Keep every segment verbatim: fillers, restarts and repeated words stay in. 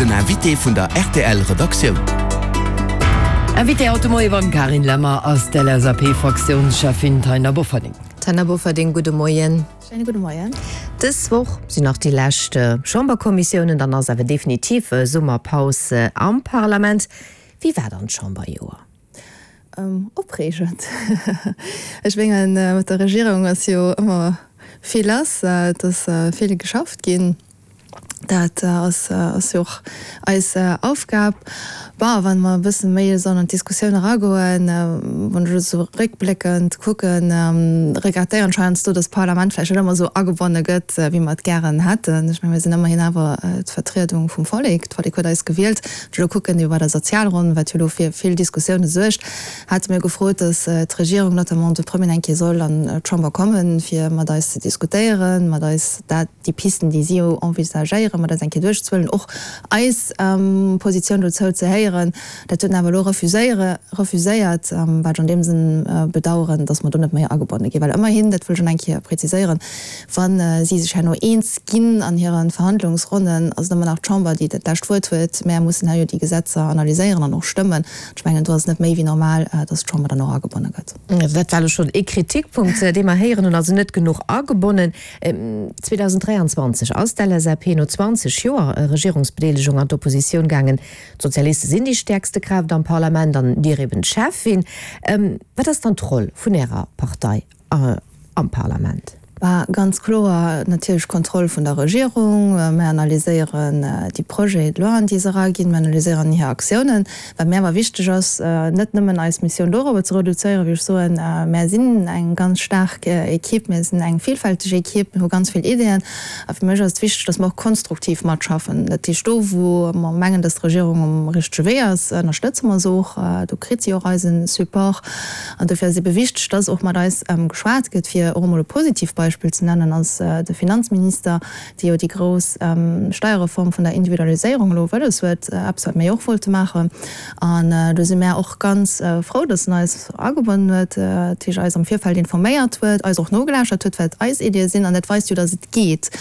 Den Invité vun der R T L Redaktioun. Invité haut de Moie beim Carine Lemmer ass d'L S A P-Fraktiounscheffin Taina Bofferding. Taina Bofferding, gudde Moien. Schéine gudde Moien. Dës Woch sinn nach déi lescht Chamberkommissiounen, dann ass awer definitiv Summerpaus am Parlament. Wéi war dann d'Chamberjoer? Ähm, opreegend. Ech mengen, mat der Regierung ass jo ëmmer vill lass, et ass vill geschafft ginn. Dat ass ass jo och eis Aufgab. Bon, wann mer e bësse méi esou an d'Diskussioun eragoen, wann ech elo esou réckbléckend kucken, regrettéieren ech heiansdo, datt d'Parlament vläicht net ëmmer esou agebonne gëtt, wéi mer et gären hätten. Ech mengen, mir sinn ëmmerhin awer d'Vertriedung vum Vollek. D'Vollek huet eis gewielt. Wann ech elo kucken iwwer der Sozialronn, wat jo elo fir vill Diskussioune suergt, hate mir gefrot, datt d'Regierung, notamment de Premier, eng Kéier soll an d'Chamber kommen, fir mat eis ze diskutéieren, mat eis dat, déi Pisten, déi si jo envisagéieren, mat eis eng Kéier duerchzehuelen, och eis Positioun dozou ze héieren. Dat huet en awer elo refuséiere, refuséiert, wat ech an deem Sënn bedauern, dass mer do net méi agebonne ginn. Well ëmmerhin, dat wëll ech nach eng Kéier preziséieren, wa si sech herno eens ginn an hire Verhandlungsronnen, ass et ëmmer nach d'Chamber, déi dat lescht Wuert huet. Mär mussen hei jo déi Gesetzer analyséieren an och stëmmen. Ech mengen, do ass et net méi wéi normal, dass d'Chamber dann och agebonne gëtt. Dat war elo schonn ee Kritikpunkt, dee mer héieren hunn, also net genuch agebonnen. zweedausenddräianzwanzeg ass d'L S A P no zwanzeg Joer Regierungsbedeelegung an d'Oppositioun gaangen. D'Sozialiste sinn déi stäerkste Kraaft am Parlament an Dir eben d'Cheffin. Wat ass dann d'Roll vun Ärer Partei am Parlament? Bah, ganz kloer natierlech Kontroll vun der Regierung. Mir analyséieren déi Projets de loi, déi se eraginn. Mir analyséieren hir Aktiounen. Wat mir awer wichteg ass, net nëmmen eis Missioun dorobber ze reduzéieren, wéi ech soen, mär sinn eng ganz staark Equipe, mir sinn eng villfälteg Equipe, mir hu ganz vill Ideeën. A fir mech ass et wichteg, datt mer och konstruktiv matschaffen. Dat heescht, do wou mer mengen, datt d'Regierung um richtege Wee ass, ënnerstëtze mer se och. Do kritt si och eise Support. An dofir ass et ebe wichteg, datt och mat eis geschwat gëtt, fir och emol e positivt Beispill ze nennen, ass de Finanzminister, dee jo déi grouss Steierreform vun der Individualiséierung elo wëlles huet, eppes wat mir jo och wollte maachen. An do si mär och ganz frou, datt en eis agebonnen huet, dat heescht eis am Virfeld informéiert huet, eis och nogelauschtert huet, wat eis Iddie sinn. An dat weist jo, datt et geet.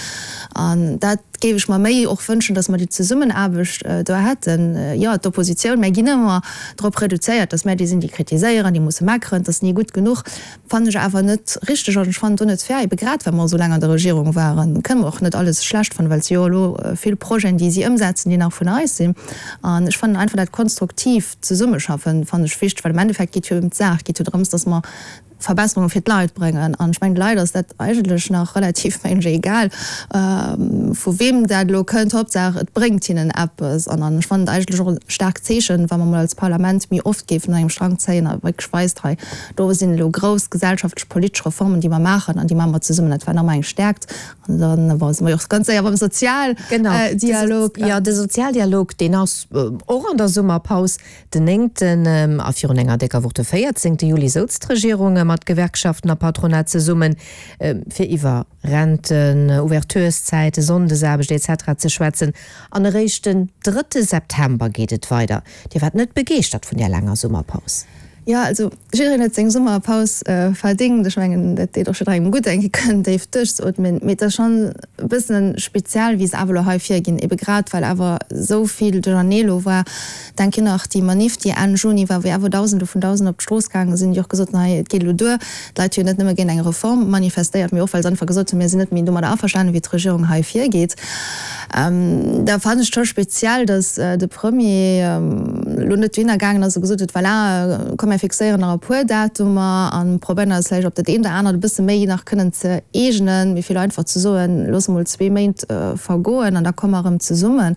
An dat géif ech mer méi och wënschen, datt mer déi Zesummenaarbecht do hätten. Jo, d'Oppositioun, mär ginn ëmmer drop reduzéiert, datt mär déi sinn, déi kritiséieren, déi musse meckeren, et ass ni gutt genuch. Fannen ech awer net richteg an ech fannen et och net fair, ebe grad well mer esou laang an der Regierung waren, kënne mer och net alles schlecht fannen, well et si jo elo vill Projeten, déi si ëmsetzen, déi nach vun eis sinn. An ech fannen einfach dat konstruktiv Zesummeschaffen fannen ech wichteg, well am Endeffekt geet jo ëm d'Saach, geet jo drëms, dass mer Verbesserunge fir d'Leit bréngen. An ech mengen, de Leit ass dat eigentlech nach relativ, mengen ech, egal, vu weem dat elo kënnt, Hauptsaach et bréngt hinnen eppes. An ech fannen et eigentlech och e staarkt Zeechen, wa mer mol als Parlament méi oft géifen un engem Strang zéien a wierklech weist, hei do sinn elo grouss gesellschaftlech, politesch Reformen, déi mer maachen an déi maache mer zesummen. Dat wär nach emol eng Stäerkt. An dann, bon, si mer jo och ganz séier beim Sozialdialog. Jo, de Sozialdialog, deen ass och an der Summerpaus. Den néngten a virun enger décker Woch, de véierzéngte Juli, souz d'Regierung mat Gewerkschaften a Patronat zesummen, fir iwwer Renten, Ouvertureszäiten, Sonndesaarbecht et cetera ze schwätzen. An eréischt den drëtte September geet et weider. Dir waart net begeeschtert vun där laanger Summerpaus? Jo, also jiddereen huet seng Summerpaus verdéngt. Ech mengen, dat deet och jidderengem gutt, eng Kéier kënnen déif duerchzeootmen. Mee et ass schonn e bëssen speziell, wéi se awer elo hei virginn, ebe grad well awer esou vill Duerchernee elo war. Denk jo nach déi Manif, déi Enn Juni war, wéi awer Dausende vun Dausenden op d'Strooss gaange sinn, déi och gesot hunn, hei et geet elo duer. D'Leit hu jo net nëmme géint eng Reform manifestéiert, mee och well se einfach gesot hunn, mir sinn net méi domadder averstanen, wéi d'Regierung hei virgeet. Da fannen ech et scho speziell, datt de Premier elo net dohinner gaangen ass a gesot huet, voilà, komm mir fixéieren nach e puer Datumer a probéieren eis vläicht op dat eent oder anert e bësse méi nach kënnen ze eegenen, wéi vill einfach ze soen, loosse mol zwee Méint vergoen an da komme mer erëm zesummen.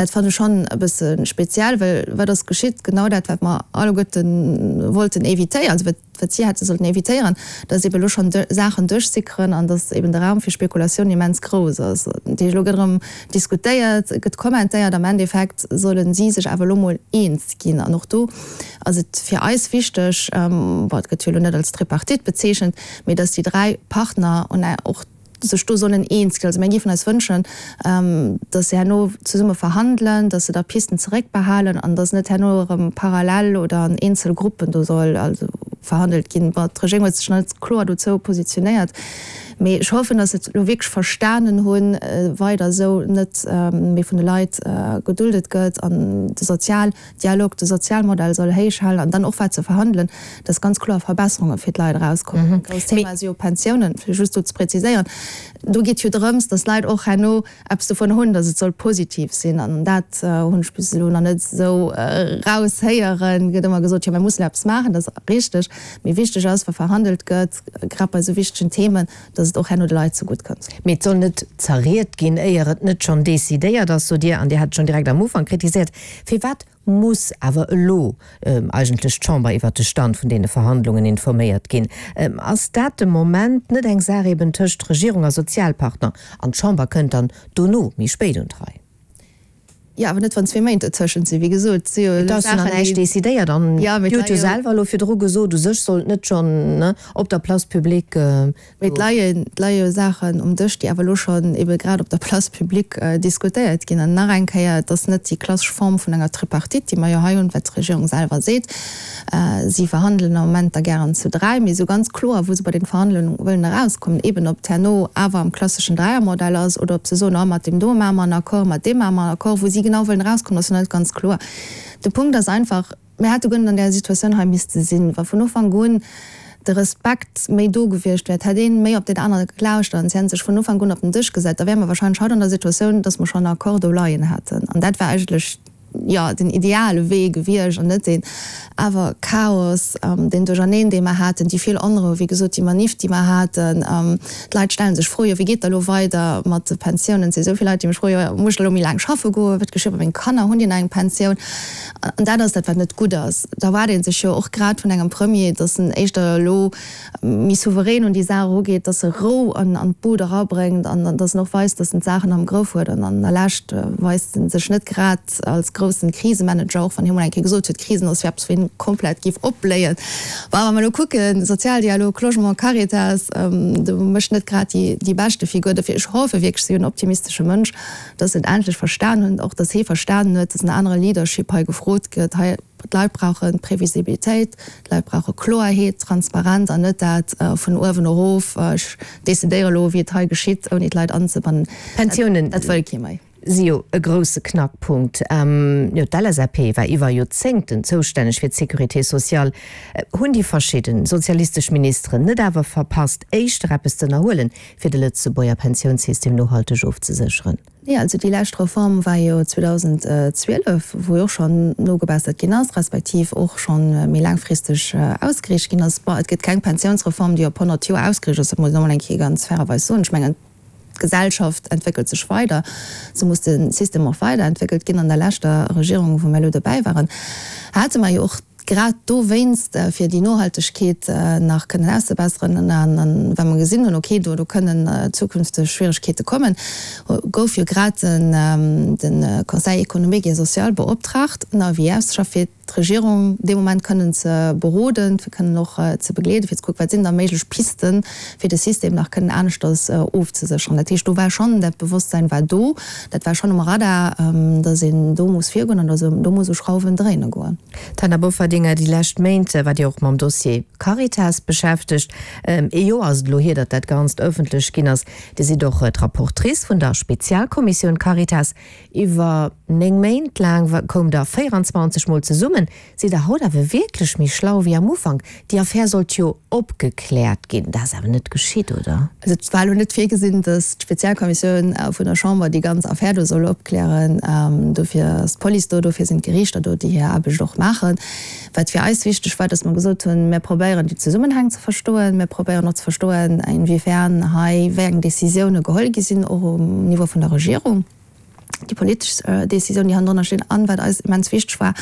Dat fannen ech schonn e bësse speziell, well wat ass geschitt? Genau dat, wat mer alleguerte wollten évitéieren, also wat wat si hätte sollten évitéieren, dass eben elo schonn Saachen duerchsickeren an dass eben de Raum fir Spekulatioun immens grouss ass. Dat heescht, elo gëtt erëm diskutéiert, gëtt kommentéiert, am Endeffekt solle si sech awer elo mol eens ginn. An och do ass et fir eis wichteg, bon, et gëtt jo elo net als Tripartite bezeechent, mee dass déi dräi Partner och sech do sollen eens ginn. Also mir géifen eis wënschen, dass se herno zesumme verhandelen, dass se da Pisten zeréckbehalen an dass net herno erëm parallel oder an eenzel Gruppen do soll also verhandelt ginn. Bon, d'Regierung huet sech nach net kloer dozou positionéiert. Mee ech hoffen, dass se et elo wierklech verstanen hunn, weider esou net méi vun de Leit geduldet gëtt an de Sozialdialog, de Sozialmodell soll héich halen an dann och wat ze verhandelen, dass ganz kloer Verbesserunge fir d'Leit erauskommen. E grousst Thema si jo Pensiounen, fir just do ze präziséieren. Do geet jo drëms, dass d'Leit och herno eppes dovun hunn, dass et soll positiv sinn. An dat hunn ech bis elo nach net esou eraushéieren. Et gëtt ëmmer gesot, jo mir mussen eppes maachen, dat ass richteg. Mee wichteg ass, wa verhandelt gëtt, grad bei esou wichtegen Themen, dass et och herno de Leit zegutt kënnt. Mee et soll net zerriet ginn, éier et net schonn decidéiert ass, sot Dir. An Dir hat et schonn direkt am Ufank kritiséiert. Firwat muss awer elo eigentlech d'Chamber iwwert de Stand vun deene Verhandlungen informéiert ginn? Ass dat de Moment net eng Saach eben tëscht Regierung a Sozialpartner an d'Chamber kënnt dann dono, méi spéit, un d'Rei? Jo, awer net wann zwee Méint dozwëschent sinn. Wéi gesot, et si jo Et ass jo nach Saachen, näischt déi. decidéiert an Jo, mee Dir et hutt jo leie jo. selwer elo virdru gesot, u sech sollt net schonn op der Place publique Mee et do. leien, et leie jo Saachen um Dësch, déi awer elo schonn ebe grad op der Place publique diskutéiert ginn. An nach eng Kéier, et ass net déi klassesch Form vun enger Tripartite, déi mer jo hei hunn, wat d'Regierung selwer seet. Si verhandelen am Moment da gären zu dräi, mee esou ganz kloer, wou se bei den Verhandlungen wëllen erauskommen, eben ob et herno awer am klasseschen Dräiermodell ass oder ob se soen, oh, mat deem do maache mer en Accord, mat deem maache mer en Accord, wou si genau wëllen erauskommen, ass jo net ganz kloer. De Punkt ass einfach, mir hätte guer net an där Situatioun hei misste sinn, wa vun Ufank un de Respekt méi do gewiescht wär, hätt ee méi op deen anere gelauschtert an si hätte sech vun Ufank un op den Dësch gesat, da wäre mer wahrscheinlech haut an der Situatioun, dass mer schonn en Accord do leien hätten. An dat wär eigentlech, jo, den ideale Wee gewiescht an net deen awer Chaos, deen Duercherneen, dee mer haten, déi vill Onrou, wéi gesot, déi Maniff, déi mer haten. D'Leit stelle sech Froe, jo, wéi geet da elo weider mat de Pensiounen? Et si esou vill Leit, déi mech froen, jo, muss ech da elo méi laang schaffe goen? Wat geschitt mat menge Kanner? Hunn déi nach eng Pensioun? An dat ass dat, wat net gutt ass. Da erwaart ee sech jo och grad vun engem Premier, datt en éischter elo méi souverän un déi Saach erugeet, datt e Rou an d'Boot erabréngt an datt en och weist, datt en d'Saachen am Grëff huet. An an der Lescht weist en sech net grad als groussen Krisemanager, och wann hie mol eng Kéier gesot huet, Krisen ass fir eppes, wou hien komplett géif opbléien. Bon, wa mer elo kucken, Sozialdialog, Logement, Caritas, do mécht net grad déi beschte Figur. Dofir, ech hoffe wierklech, ech si jo en optimistesche Mënsch, datt se et endlech verstan hunn, och datt hie verstanen huet, datt en anere Leadership hei gefrot gëtt. Hei, d'Leit brauche Previsibilitéit, d'Leit brauche Kloerheet, Transparenz an net dat vun uewen erof, ech decidéiere elo, wéi et hei geschitt, ouni d'Leit anzebannen. Pensiounen. Dat wëll kee méi. Si jo e grousse Knackpunkt. Jo, d'LSAP war iwwer Joerzéngten zoustänneg fir d'Sécurité sociale. Hunn déi verschidden sozialistesch Ministeren net awer verpasst, éischter eppes z'ënnerhuelen, fir de Lëtzebuerger Pensiounssystem nohalteg ofzesécheren? Nee, also déi lescht Reform war jo zweedausendzwielef, wou jo och schonn nogebessert ginn ass, respektiv och scho méi laangfristeg ausgeriicht ginn ass. Bon, et gëtt keng Pensiounsreform, déi op honnert Joer ausgeriicht ass, dat muss een och emol eng Kéier ganz fairerweis soen. Ech mengen, d'Gesellschaft entwéckelt sech weider, sou muss de System och weiderentwéckelt ginn. An der leschter Regierung, wou mir elo dobäi waren, hate mer jo och grad dowéinst, fir déi Nohaltegkeet nach kënnen auszebesseren an well mer gesinn hunn, okay, do kënnen zukünfteg Schwieregkeete kommen, gouf jo grad de Conseil économique et social beoptraagt, en Avis auszeschaffen, fir d'Regierung dee Moment kënnen ze beroden, fir kënnen och ze begleeden, fir ze kucken, wat sinn da méiglech Pisten, fir de System nach kënnen aneschters ofzesécheren. Dat heescht, do war schonn, dat Bewosstsein war do, dat war schonn um Radar, datt een do muss virgoen an datt een do muss u Schrauwen dréine goen. D'Taina Bofferding, déi lescht Méint waart Dir och mam Dossier Caritas beschäftegt. Ee Joer ass et elo hier, datt dat Ganzt ëffentlech ginn ass. Dir sidd och d'Rapportrice vun der Spezialkommissioun Caritas. Iwwer néng Méint laang koumt Der véieranzwanzeg Mol zesummen. Sidd Der haut awer wierklech méi schlau wéi am Ufank? Déi Affär sollt jo opgekläert ginn. Dat ass awer net geschitt, oder? Also et war elo net virgesinn, datt d'Spezialkommissioun vun der Chamber déi ganz Affär do soll opklären. Dofir ass d'Police do, dofir sinn d'Geriichter do, déi hir Aarbecht och maachen. Wat fir eis wichteg war, datt mer gesot hunn, mir probéieren déi Zesummenhäng ze verstoen, mir probéieren och ze verstoen, inwiefern hei wéi eng Décisioune geholl gi sinn, och um Niveau vun der Regierung. déi politesch Décisioun, déi hannendrunner stinn, an wat eis immens wichteg war,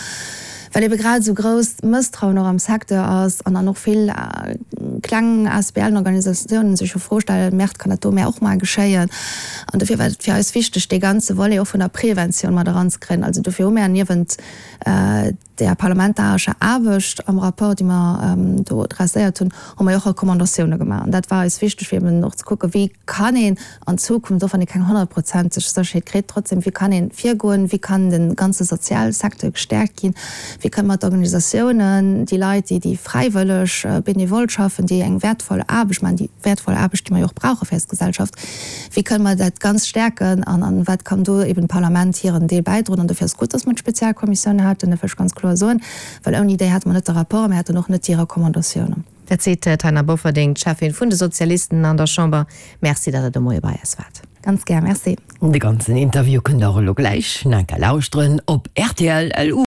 well ebe grad esou grousst Mësstrauen och am Secteur ass an dann och vill kleng ASBLen, Organisatiounen sech jo Fro stellen, Merde, kann dat do mär och mar geschéien? An dofir war et fir eis wichteg, dee ganze Volet och vun der Preventioun mat eranzekréien. Also dofir hu mär niewent der parlamentarescher Aarbecht am Rapport, déi mer do dresséiert hunn, hu mer jo och Recommandatioune gemaach. An dat war eis wichteg, fir eben och ze kucken, wéi kann een an Zukunft, och wann ee keng honnertprozenteg Sécherheet kritt, trotzdem, wéi kann ee virgoen, wéi kann de ganze Sozialsecteur gestäerkt ginn, wéi kënne mer d'Organisatiounen, déi Leit, déi déi fräiwëlleg, benevol schaffen, déi eng wäertvoll Aarbecht maachen, déi wäertvoll Aarbecht, déi mer jo och brauche fir eis Gesellschaft, wéi kënne mer dat Ganzt stäerken an an wat kann do eben d'Parlament hiren Deel bäidroen. An dofir ass et gutt, dass mer d'Spezialkommissioun haten, dat wëll ech ganz kloer soen, well ouni déi hätte mer net de Rapport a mir hätten och net déi Recommandatiounen. Dat seet d'Taina Bofferding, d'Cheffin vun de Sozialisten an der Chamber. Merci, datt Der de Moie bei eis waart. Ganz gär, Merci. De ganzen Interview kënnt der och elo gläich nach eng Kéier lauschteren op rtl. Lu.